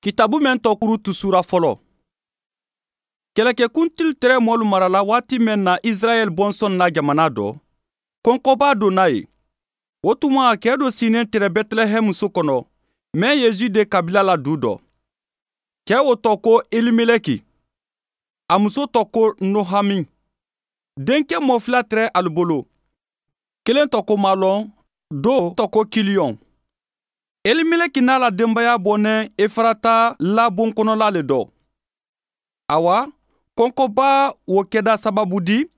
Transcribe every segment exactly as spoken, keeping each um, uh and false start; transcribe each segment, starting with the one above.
Kitabu mɛn tɔ Rutu sura fɔlɔ. Kɛlɛkɛkuntili tɛrɛ mɔlu marala waati mɛn na Israɛl bɔnsɔn la jamana dɔ, kɔnkɔba donna ye. O tuma kɛ dɔ sinen tɛrɛ Bɛtilɛhɛmu so kɔnɔ, mɛn ye Jude kabila la du dɔ. Kɛ o tɔ ko Elimeleki, a muso tɔ ko Nohami. Denkɛ mɔ fila tɛrɛ alu bolo. Kelen tɔ ko Malɔn, do tɔ ko Kiliyɔn. Elimeleki n'a la denbaya bɔnɛ Efarata labon kɔnɔla le dɔ. Awa, kɔnkɔba wo kɛda sababu di,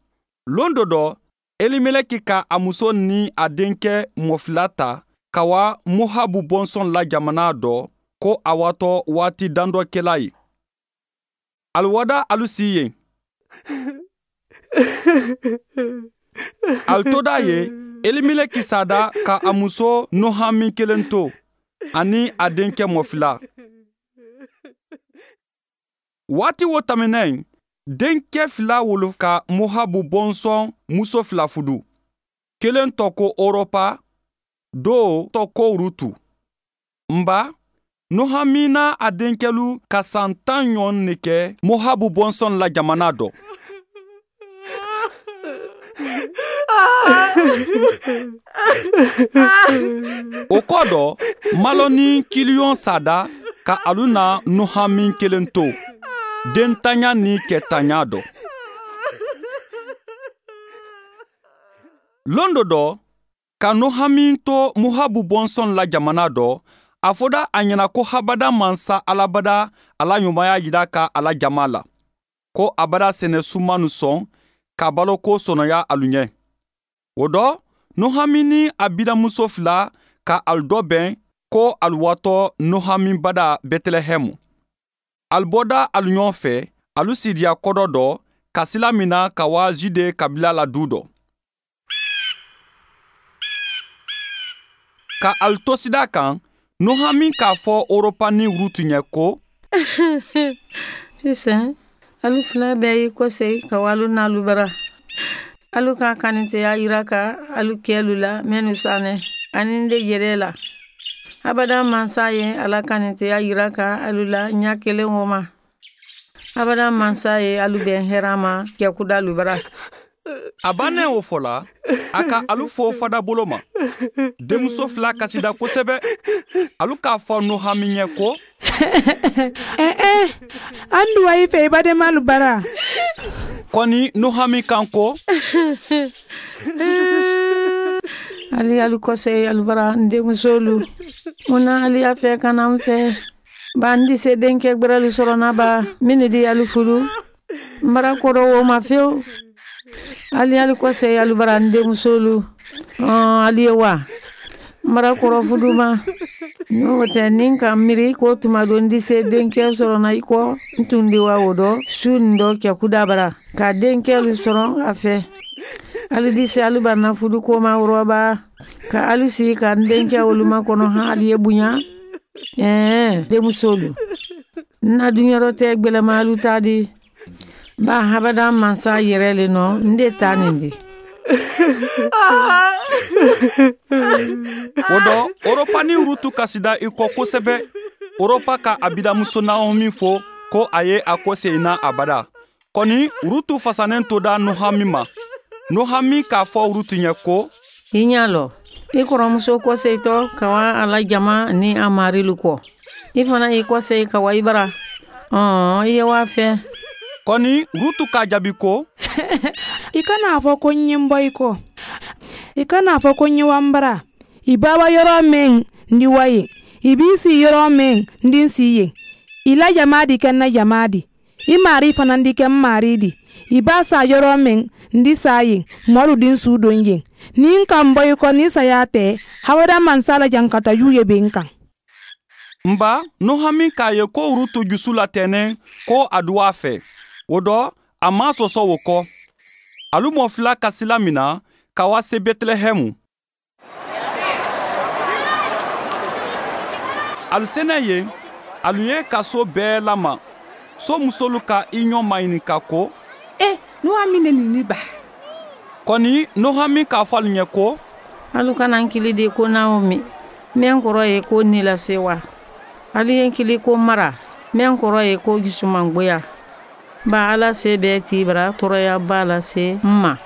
lon dɔ dɔ, Elimeleki ka a muso ni a denkɛ mɔ fila ta ka wa Mohabu bɔnsɔn la jamana dɔ ko a watɔ waati dandɔ kɛla ye. Alu wada alu si yen. Alu toda ye, Elimeleki sada ka a muso Nohami kelen to ani a denkɛ mɔ fila. Waati wo tɛmɛnen, denkɛ fila wolo ka Mohabu bɔnsɔn muso fila fudu. Kelen tɔ ko Oropa, do tɔ ko Rutu. Nba, Nohami n'a a denkɛlu ka san tan ɲɔgɔn ne kɛ Mohabu bɔnsɔn la jamana dɔ. O kɔ dɔ, Malɔn ni Kiliyɔn sada ka alu na Nohami kelen to, dentanya ni kɛtanya dɔ. Lon dɔ dɔ, ka Nohami to Mohabu bɔnsɔn la jamana dɔ, a fɔda a ɲɛna ko habada mansa alabada ala ɲumanya yira ka ala jama la, ko abada sɛnɛ sumanu sɔn ka baloko sɔnɔya alu ɲɛ. O dɔ, Nohami ni a bidamuso fila ka alu dɔ bɛn ko alu watɔ Nohami bada Bɛtilɛhɛmu. Alu bɔda alu ɲɔgɔn fɛ, alu sidiya kɔdɔ dɔ ka sila mina ka wa Jude kabila la du dɔ. Ka alu to sida kan, Nohami k'a fɔ Oropa ni Rutu ɲɛ ko, Sisan, alu fila bɛɛ y'i kɔsegin ka wa alu n'alu bara. Alu ka kaniteya yira ka alu kɛlu la mɛnnu sanɛ ani n de yɛrɛ la. Abada mansa ye ala kaniteya yira ka alu la ɲa kelen o ma. Abada mansa ye alu bɛn hɛrɛ ma kɛkuda alu bara. A bannen o fɔ la, a ka alu fo fada bolo ma. Denmuso fila kasida kosɛbɛ. Alu k'a fɔ Nohami ɲɛ ko, Eh eh, an duwa i fɛ i badenmalu bara. Kɔni Nohami kan ko, Ali alu kɔsegin alu bara n denmusolu. Mun na ali y'a fɛ ka na n fɛ? Ba n di se denkɛ gbɛrɛlu sɔrɔ na ba minnu di alu furu. N bara kɔrɔ wo ma fewu. Ali alu kɔsegin alu bara n denmusolu. Ɔn ali ye wa? N bara kɔrɔ fudu ma. N'o tɛ ni n ka miiri ko tuma dɔ n di se denkɛ sɔrɔ na i kɔ n tun di wa o dɔ su nin dɔ kɛkuda bara ka denkɛlu sɔrɔ a fɛ. Alu di se alu bara na fudu ko ma wɔrɔba ka alu sigi ka n denkɛ olu makɔnɔ han ali ye bonya. Ɛɛ denmusolu, n na dunyɔrɔ tɛ gbɛlɛma alu ta di. Ba habada mansa yɛrɛ le nɔ n de ta nin di. O dɔ, Oropa ni Rutu kasida i kɔ kosɛbɛ. Oropa ka a bidamuso Naomi fo ko a ye a kɔsegin na abada. Kɔni Rutu fasanen toda Nohami ma. Nohami k'a fɔ Rutu ɲɛ ko, I ɲa lɔ, i kɔrɔmuso kɔsegintɔ ka wa a la jama ni a marilu kɔ. I fana y'i kɔsegin ka wa i bara. Ɔn i ye wa fɛ. Kɔni Rutu k'a jaabi ko, I kana fɔ ko n ye n bɔ i kɔ. I kana fɔ ko n ye wa n bara. I ba wa yɔrɔ min, n di wa yen. I b'i si yɔrɔ min, n di n si yen. I la jama di kɛ n na jama di. I mari fana di kɛ n mari di. I ba sa yɔrɔ min, n di sa yen. Mɔlu di n su don yen. Ni n ka n bɔ i kɔ ni saya tɛ, hawada mansa la jankata ju ye bɛ n kan. Nba, Nohami k'a ye ko Rutu jusu latɛnɛ ko a duwa fɛ. O dɔ, a ma sɔsɔ o kɔ. Alu mɔ fila ka sila mina ka wa se Bɛtilɛhɛmu. Alu senɛ yen, alu ye ka so bɛɛ lama. So musolu ka i ɲɔ maɲininka ko, Eh, Nohami ne nin ba. Kɔni Nohami k'a fɔ alu ɲɛ ko, Alu kana n kili de ko Naomi. Mɛn kɔrɔ ye ko ni lase wa. Alu ye n kili ko Mara, mɛn kɔrɔ ye ko jusumangoya. Ba Ala se bɛɛ t'i bara tɔɔrɔyaba lase n ma.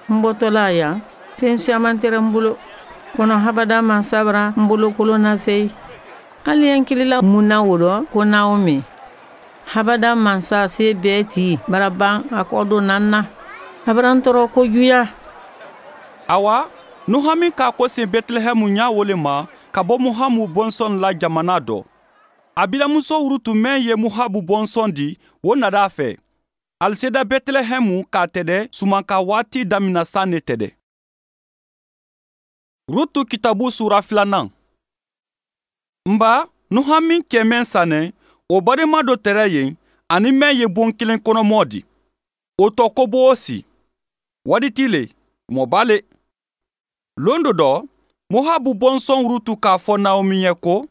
N bɔtɔla yan, fɛn siyaman tɛrɛ n bolo. Kɔnɔ habada mansa bara n bolokolon nase. Hali ye n kilila mun na o dɔ ko Naomi. Habada mansa se bɛɛ t'i bara ban a kɔ don na n na. A bara n tɔɔrɔ kojuya. Awa, Nuhami k'a ko sen Bɛtilɛhɛmu ɲa wo le ma ka bɔ Mohabu bɔnsɔn la jamana dɔ. A bilamuso Rutu mɛn ye Mohabu bɔnsɔn di, o nada a fɛ. Ali seda Bɛtilɛhɛmu k'a tɛdɛ sumanka waati damina san ne tɛdɛ. Rutu kitabu sura filanan. Nba, Nuhami cɛ mɛn sanɛ, o badenma dɔ tɛrɛ yen, ani mɛn ye bon kelen kɔnɔmɔ di. O tɔ ko Bosi. Waditi le, mɔba le. Lon dɔ dɔ, Mohabu bɔnsɔn Rutu k'a fɔ Naomi ye ko,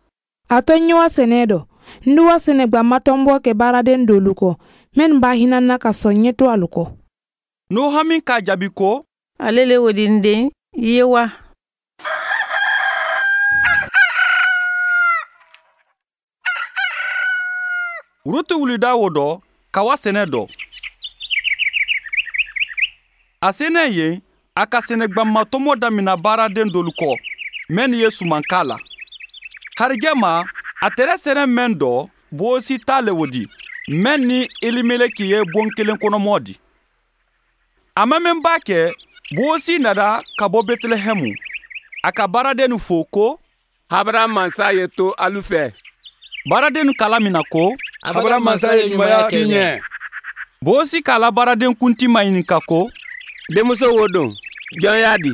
A to n ye wa sɛnɛ dɔ, n di wa sɛnɛ gbamatɔnbɔ kɛ baaraden dolu kɔ, minnu b'a hinɛ na ka sɔn ɲɛ to alu kɔ. Nuhami k'a jaabi ko, Ale le o di n den, i ye wa. Rutu wulida o dɔ, ka wa sɛnɛ dɔ. A senɛ yen, a ka sɛnɛgbamatɔmɔ damina baaraden dolu kɔ, mɛn ye sumanka la. Harijɛ ma, a tɛrɛ sɛnɛ mɛn dɔ, Bosi t'a le o di, mɛn ni Elimeleki ye bon kelen kɔnɔmɔ di. A ma mɛn ba kɛ, Bosi nana ka bɔ Bɛtilɛhɛmu. A ka baaradennu fo ko, Habara mansa ye to alu fɛ. Baaradennu kala mina ko, Habara mansa ye ɲumanya k'i ɲɛ. Bosi k'a la baaraden kunti maɲininka ko, Denmuso wo don, jɔn y'a di?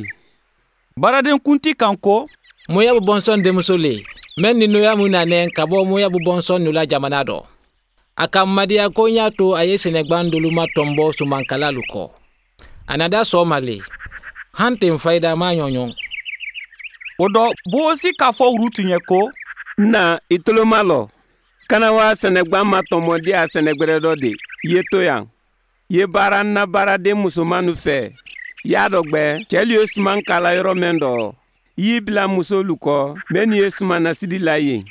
Baaraden kunti kan ko, Moyabu bɔnsɔn denmuso le, mɛn ni Noyamu nanɛ ka bɔ Moyabu bɔnsɔn nu la jamana dɔ. A ka madiya ko n y'a to a ye sɛnɛgban dolu ma tɔnbɔ sumankalalu kɔ. A nada sɔɔma le, han ten fayida ma ɲɔɲɔn. O dɔ, Bosi k'a fɔ Rutu ɲɛ ko, Na, i tolo malɔ. Kana wa sɛnɛgban ma tɔnbɔ di a sɛnɛgbɛrɛ dɔ de, i ye to yan. I ye baara n na baaraden musomanu fɛ. I y'a dɔ gbɛ, cɛlu ye suman kala yɔrɔ mɛn dɔ. I y'i bila musolu kɔ, mɛnnu ye sumanasidi la yen.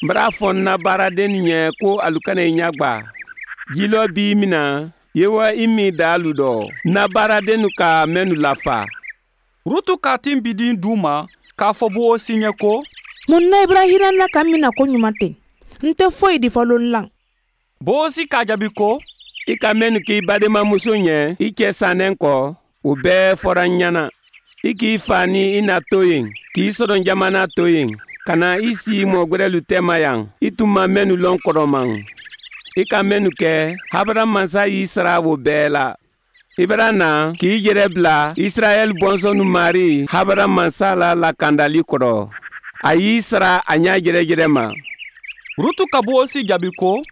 N bara fɔ n na baaraden ɲɛ ko alu kana i ɲagba. Jilɔ b'i mina, ye wa i min da alu dɔ. N na baaradennu ka mɛnnu lafa. Rutu k'a tin bidin d'u ma k'a fɔ Bosi ɲɛ ko, Mun na i bara hinɛ n na ka n mina ko ɲuman ten? N tɛ foyi di fɔlɔ n la. Bosi k'a jaabi ko, I ka mɛnnu k'i badenmamuso ɲɛ, i cɛ sannen kɔ, o bɛɛ fɔra n ɲɛna. I k'i fa ni i na to yen, k'i sɔrɔ jamana to yen, ka na i si mɔgɔ gwɛrɛlu tɛma yan, i tun ma mɛnnu lɔn kɔrɔman. I ka mɛnnu kɛ, Habara mansa y'i sara o bɛɛ la. I bara na k'i yɛrɛ bila Israɛl bɔnsɔnnu mari Habara mansa la lakandali kɔrɔ. A y'i sara a ɲɛ jɛrɛjɛrɛ ma. Rutu ka Bosi jaabi ko,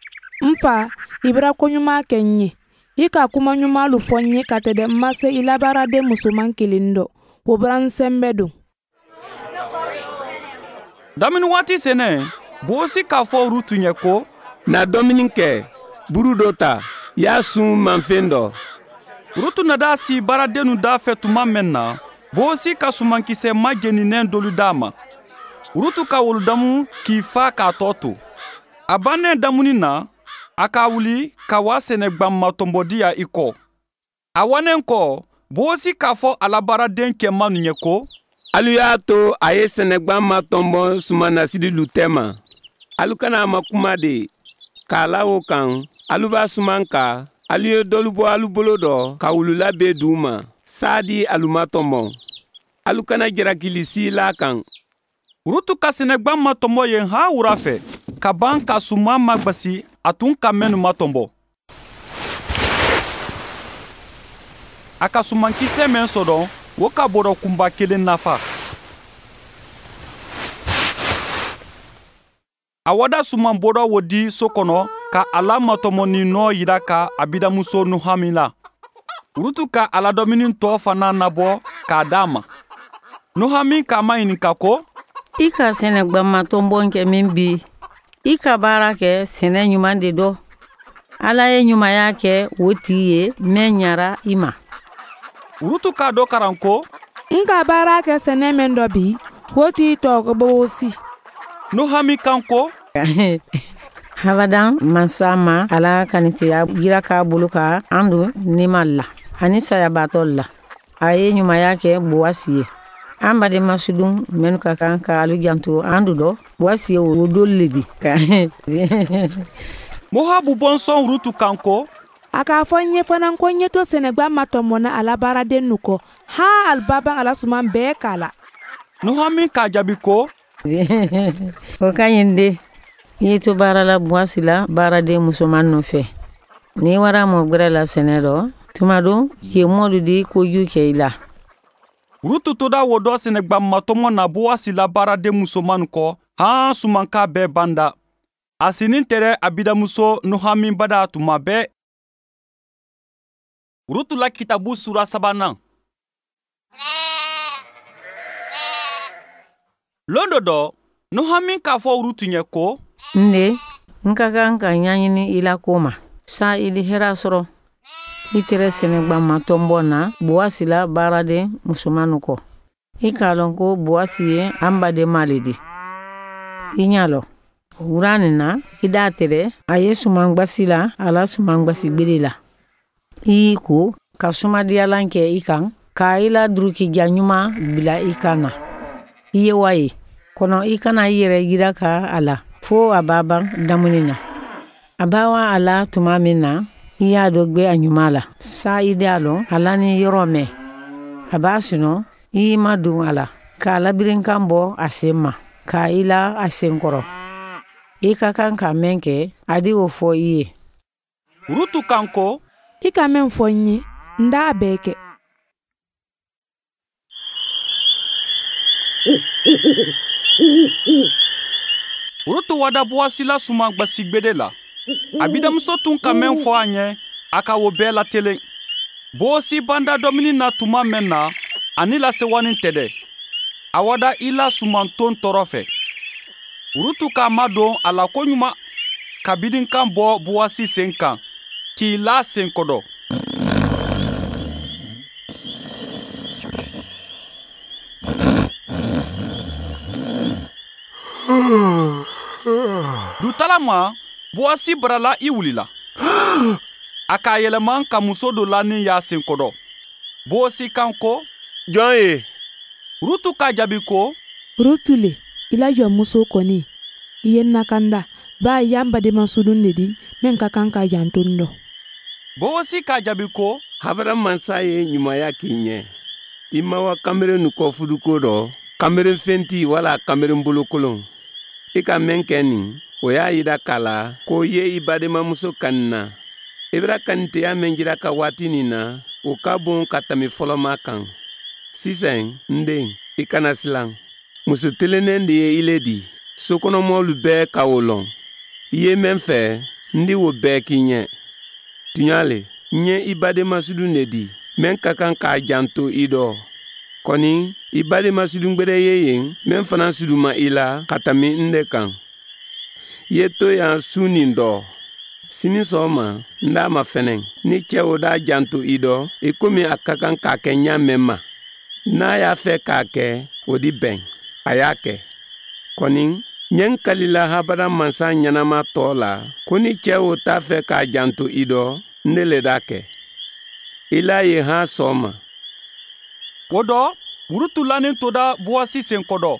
N fa, i bara ko ɲuman kɛ n ye. I ka kuma ɲumanlu fɔ n ye ka tɛdɛ n ma se i la baaraden musoman kelen dɔ. O bara n sɛnbɛ don. Damini waati sɛnɛ, Bosi k'a fɔ Rutu ɲɛ ko, Na dumuni kɛ, buru dɔ ta, y'a sun manfɛn dɔ. Rutu nada si baaradennu da fɛ tuma mɛn na, Bosi ka sumankisɛ majeninen dolu d'a ma. Rutu ka wolu damu k'i fa k'a tɔ to. A bannen damuni na, a k'a wuli ka wa sɛnɛgbanmatɔnbɔdiya i kɔ. A wanen kɔ, Bosi k'a fɔ a la baaraden cɛmannu ɲɛ ko, Alu y'a to a ye sɛnɛgban ma tɔnbɔ sumanasililu tɛma. Alu kana a ma kuma de, k'a la o kan, alu b'a suman ka, alu ye dɔlu bɔ alu bolo dɔ ka wulu labɛn d'u ma, saadi alu ma tɔnbɔ. Alu kana jarakili si l'a kan. Rutu ka sɛnɛgban ma tɔnbɔ yen han wura fɛ, ka ban ka suman magbasi a tun ka mɛnnu ma tɔnbɔ. A ka sumankisɛ mɛn sɔrɔ, o ka bɔrɔ kunba kelen nafa. A wada suman bɔrɔ wo di so kɔnɔ ka a la matɔmɔni nɔ yira ka a bidamuso Nuhami la. Rutu ka a la dɔmini tɔ fana nabɔ k'a d'a ma. Nuhami k'a maɲininka ko, I ka sɛnɛgbanmatɔnbɔn kɛ min bi, i ka baara kɛ sɛnɛ ɲuman de dɔ. Ala ye ɲumanya kɛ o tigi ye mɛn ɲara i ma. Rutu k'a dɔ karan ko, N ka baara kɛ sɛnɛ mɛn dɔ bi, o tigi tɔgɔ ko Bosi. Nuhami kan ko, Habadan mansa ma ala kanitiya jira k'a bolo ka an don nima la ani sayabaatɔ la. A ye ɲumanya kɛ Bowasi ye. An badenma sudun minnu ka kan ka alu janto an du dɔ, Bowasi ye o dolu le di. Mohabu bɔnsɔn Rutu kan ko a k'a fɔ n ye fana ko n ye to sɛnɛgba ma tɔmɔna a la baaraden nu kɔ han aliba ala suman bɛɛ k'a la. Nuhami k'a jaabi ko o ka ɲi de. I ye to baara la Bowasi la baaraden musoman nɔfɛ. N'i wara mɔ gwɛrɛ la sɛnɛ dɔ, tuma don yen mɔlu di kojugu kɛ i la. Rutu toda wo dɔ sɛnɛgba matɔmɔ na Bowasi la baaraden musoman kɔ han sumanka bɛɛ banda. A sinin tɛrɛ a bidamuso Nuhami bada tuma bɛɛ. Rutu la kitabu sura sabanan. Lon dɔ dɔ, Nuhami k'a fɔ Rutu ɲɛ ko n de, n ka kan ka ɲaɲini i la ko ma sa i di hɛrɛ sɔrɔ. I tɛrɛ sɛnɛgba matɔnbɔ na Bowasi la baaraden musoman kɔ. I k'a lɔn ko Bowasi ye an badenma le di. I ɲa lɔ wura nin na i d'a tɛrɛ a ye sumangbasi la a la sumangbasi gbere la. I y'i ko ka sumadiyalan kɛ i kan k'a i la durukija ɲuman bila i kan na. I ye wa ye kɔnɔ i kana i yɛrɛ yira ka a la fo a b'a ban damuni na. A b'a wa a la tuma min na i y'a dɔ gbɛ a ɲuman la sa i d'a lɔn a la ni yɔrɔ mɛn. A b'a sunɔ i y'i ma don a la k'a labirinkan bɔ a sen ma k'a i la a sen kɔrɔ. I ka kan ka mɛn kɛ a di o fɔ i ye. Rutu kan ko i ka mɛn fɔ n ye n d'a bɛɛ kɛ. Rutu wada Bowasi la suman gbasigbede la. A bidamuso tun ka mɛn fɔ a ɲɛ a ka o bɛɛ latelen. Bowasi banda domini na tuma mɛn na ani lasewani tɛ dɛ. A wada i la sumanton tɔɔrɔ fɛ. Rutu k'a madon a la koɲuman ka bidinkan bɔ Bowasi sen kan k'i la sen kɔdɔ. Dutala ma, Bowasi barala i wulila. A k'a yɛlɛma ka muso dɔ la ni y'a sen kɔdɔ. Bowasi kan ko jɔn ye? Rutu k'a jaabi ko Rutu le, i la jɔnmuso kɔni i ye n nakanda ba y'an badenma sudun de di min ka kan ka janto n dɔ. Bowasi k'a jaabi ko Habara mansa ye ɲumanya k'i ɲɛ. I ma wa kameren nu kɔ fuduko dɔ, kameren fenti wala kameren bolokolon. I ka mɛn kɛ nin, o y'a yira k'a la ko ye i badenmamuso kani na. I bɛra kaniteya mɛn jira ka waati nin na, o ka bon ka tɛmɛ fɔlɔma kan. Sisan, n den, i kana silan. Muso telennen de ye i le di. Sokɔnɔmɔlu bɛɛ ka o lɔn. I ye mɛn fɛ, n di o bɛɛ k'i ɲɛ. Tuɲa le, n ye i badenmasudun de di, mɛn ka kan k'a janto i dɔ. Kɔni, i badenmasudun gwɛrɛ ye yen, mɛn fana suduma i la ka tɛmɛ n de kan. I ye to yan su nin dɔ. Sini sɔgɔma, n d'a ma fɛnɛ. Ni cɛ o d'a janto i dɔ, i komi a ka kan k'a kɛ ɲa mɛn ma. N'a y'a fɛ k'a kɛ, o di bɛn. A y'a kɛ. Kɔni, ɲɛ n kalila habada mansa ɲɛnama tɔ la, ko ni cɛ o t'a fɛ k'a janto i dɔ, ne le d'a kɛ. I l'a ye han sɔgɔma. O dɔ, Rutu lanin toda Bowasi sen kɔdɔ.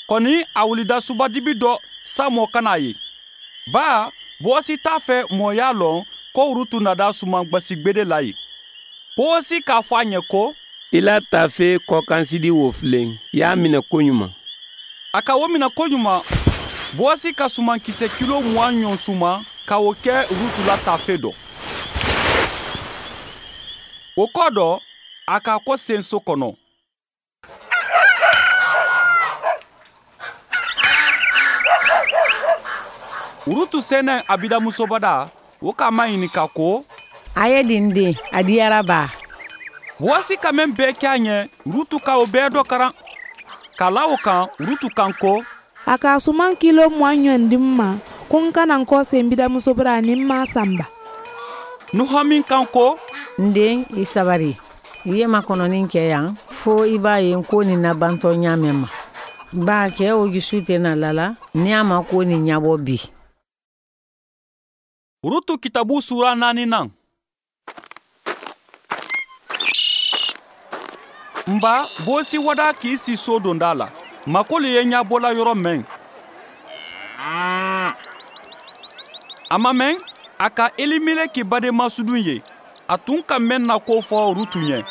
Kɔni a wulida subadibi dɔ sa mɔ kana ye. Ba, Bowasi t'a fɛ mɔ y'a lɔn ko Rutu nada suman gbasigbede la ye. Bowasi k'a fɔ a ɲɛ ko i la tafe kɔkansidi wo filen, i y'a minɛ koɲuman. A ka o minɛ koɲuman, Bowasi ka sumankisɛ kilo mugan ɲɔn suman ka o kɛ Rutu la tafe dɔ. O kɔ dɔ, a k'a kɔ sen so kɔnɔ. Rutu sɛnɛ a bidamusobada, o k'a maɲininka ko a ye di n den, a diyara ba. Bowasi ka mɛn bɛɛ kɛ a ɲɛ, Rutu ka o bɛɛ dɔ karan. K'a la o kan, Rutu kan ko a ka suman kilo mugan ɲɔn di n ma ko n kana n kɔ sen bidamuso bara ni n m'a sanba. Nuhami kan ko n den, i sabari. I ye makɔnɔni kɛ yan fo i b'a ye ko nin nabantɔ ɲa mɛn ma. Ba cɛ o jusu tɛna lala ni a ma ko nin ɲabɔ bi. Rutu kitabu sura naaninan. Nba Bosi wada k'i si so donda la. Makoli ye ɲabɔla yɔrɔ mɛn. A ma mɛn, a ka Elimeleki badenmasudun ye. A tun ka mɛn na ko fɔ Rutu ɲɛ.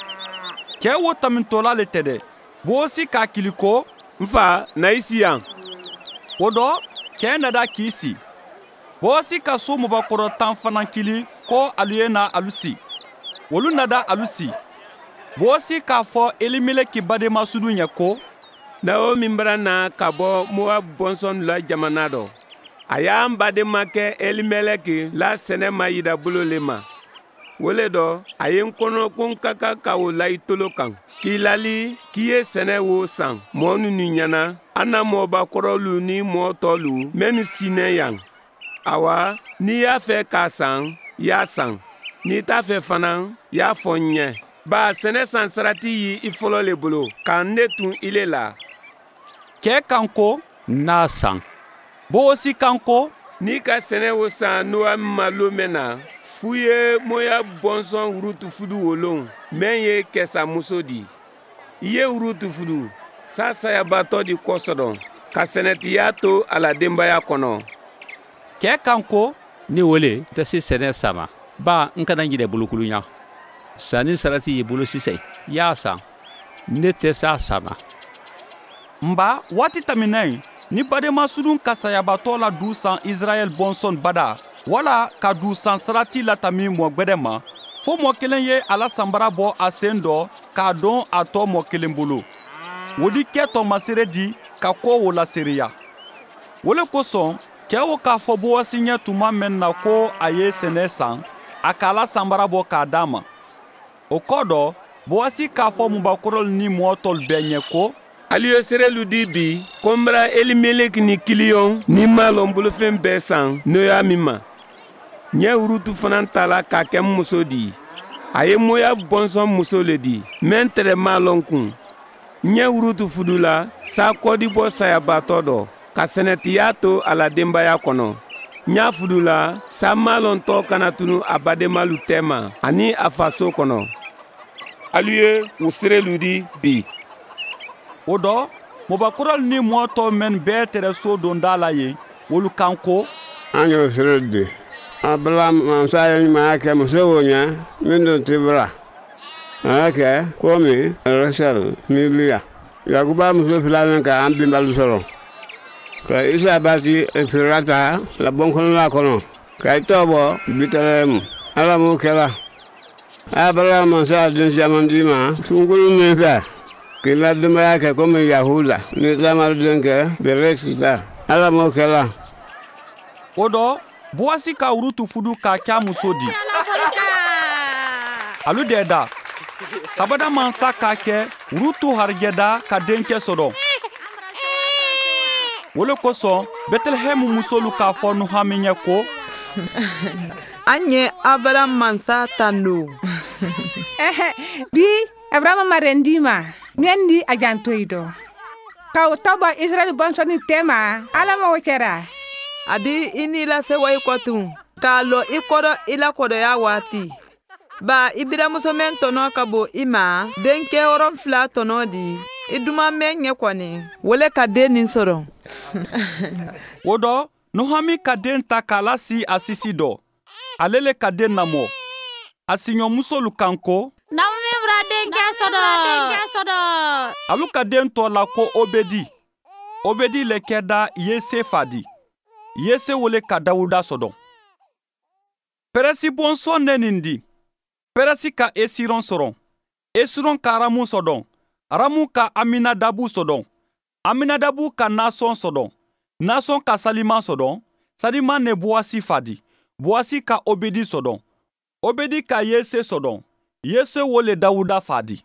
Cɛ wo tamintɔla le tɛ dɛ. Bosi k'a kili ko, n fa, na i si yan. O dɔ, cɛ nada k'i si. Bosi ka so mɔbakɔrɔ tan fana kili ko alu ye na alu si. Olu nada alu si. Bosi k'a fɔ Elimeleki badenmasudun ɲɛ ko, Naomi bara na ka bɔ Moab bɔnsɔn la jamana dɔ. A y'an badenmakɛ Elimeleki la sɛnɛ ma yida bolo le ma. Wo le dɔ, a ye n kɔnɔ ko n ka kan ka o la i tolo kan. K'i lali k'i ye sɛnɛ wo san mɔɔ ninnu ɲɛna, an na mɔɔbakɔrɔlu ni mɔɔ tɔlu minnu sinɛ yan. Awa, n'i y'a fɛ k'a san, y'a san. N'i t'a fɛ fana, y'a fɔ n ɲɛ. Ba sɛnɛ san sarati y'i i fɔlɔ le bolo, ka ne tun ile la. Cɛ kan ko, n'a san. Bosi kan ko, n'i ka sɛnɛ wo san Noami ma lon mɛn na, f'u ye Moab bɔnsɔn Rutu fudu wo lon, mɛn ye kɛsamuso di. I ye Rutu fudu, sa sayabatɔ di kɔsɔdɔn, ka sɛnɛtiya to a la denbaya kɔnɔ. Cɛ kan ko, ne wele tɛ se sɛnɛ san ma, ba n kana ɲinɛ bolokulunya. Sanni sarati y'i bolo sisan, y'a san. Ne tɛ s'a san ma. Nba waati tɛmɛnen, ni badenmasudun ka sayabatɔ la du san Israɛl bɔnsɔn bada, wala ka du san sarati latami mɔ gwɛdɛ ma, fo mɔ kelen ye a la sanbara bɔ a sen dɔ k'a don a tɔ mɔ kelen bolo. O di kɛ tɔmasere di ka ko o lasereya. O le kosɔn, cɛ o k'a fɔ Bowasi ɲɛ tuma mɛn na ko a ye sɛnɛ san, a k'a la sanbara bɔ k'a d'a ma. O kɔ dɔ, Bowasi k'a fɔ mubakɔrɔlu ni mɔɔ tɔlu bɛɛ ɲɛ ko, alu ye serelu di bi ko n bara Elimeleki ni Kiliyɔn ni Malɔn bolofɛn bɛɛ san Noami ma. N ye Rutu fana ta la k'a kɛ n muso di. A ye Moab bɔnsɔn muso le di, mɛn tɛrɛ Malɔn kun. N ye Rutu fudu la, sa kɔdibɔ sayabatɔ dɔ, ka sɛnɛtiya to a la denbaya kɔnɔ. N y'a fudu la, sa Malɔn tɔ kana tunu a badenmalu tɛma ani a faso kɔnɔ. Alu ye o serelu di bi. O dɔ, mɔbakɔrɔlu ni mɔɔ tɔ mɛn bɛɛ tɛrɛ so donda la yen, olu kan ko, an y'o sere di. Abraham mansa ye ɲumanya kɛ muso wo ɲɛ min dun tɛ bara. A y'a kɛ komi Rachel ni Leah. Yakuba muso filanan ka an bɛnbalu sɔrɔ. Ka Isa bati Efirata la bɔnkɔnɔla kɔnɔ. Ka i tɔ bɔ Bɛtɛlɛhɛmu. Ala m'o kɛra. Abraham mansa den caman d'i ma sunkuru min fɛ. K'i la denbaya kɛ komi Yahuda ni Tamar denkɛ Peresi ta. Ala m'o kɛra. O dɔ, Boasi ka Rutu fudu k'a kɛ a muso di. Alu dɛ da. Kabada mansa k'a kɛ Rutu harijɛda ka denkɛ sɔrɔ. O le kosɔn, Bɛtɛlɛhɛmu musolu k'a fɔ Nuhami ɲɛ ko, an ye Abraham mansa tando. Bi, Abraham ma rendi ma, mɛn di a janto i dɔ. Ka o tɔ bɔ Israɛl bɔnsɔnni tɛma, Ala ma o kɛra. A di i n'i lasewa i kɔ tun, k'a lɔ i kɔrɔ i la kɔrɔya waati. Ba i biramuso mɛn tɔnɔ ka bon i ma, denkɛ wɔrɔnfila tɔnɔ di, i duman mɛn ɲɛ kɔni, wele ka den nin sɔrɔ. O dɔ, Nuhami ka den ta k'a lasi a sisi dɔ. Ale le ka den namɔ. A siɲɔmusolu kan ko, Naomi bara denkɛ sɔrɔ. Alu ka den tɔ la ko Obedi. Obedi le kɛda Yese fa di. Yese wele ka Dawuda sɔdɔn. Pɛrɛsi bɔnsɔn ne nin di. Pɛrɛsi ka Esiron sɔrɔ. Esiron ka Aramu sɔdɔn. Aramu ka Aminadabu sɔdɔn. Aminadabu ka Nasɔn sɔdɔn. Nasɔn ka Salima sɔdɔn. Salima ne Boasi fa di. Boasi ka Obedi sɔdɔn. Obedi ka Yese sɔdɔn. Yese wo le Dawuda fa di.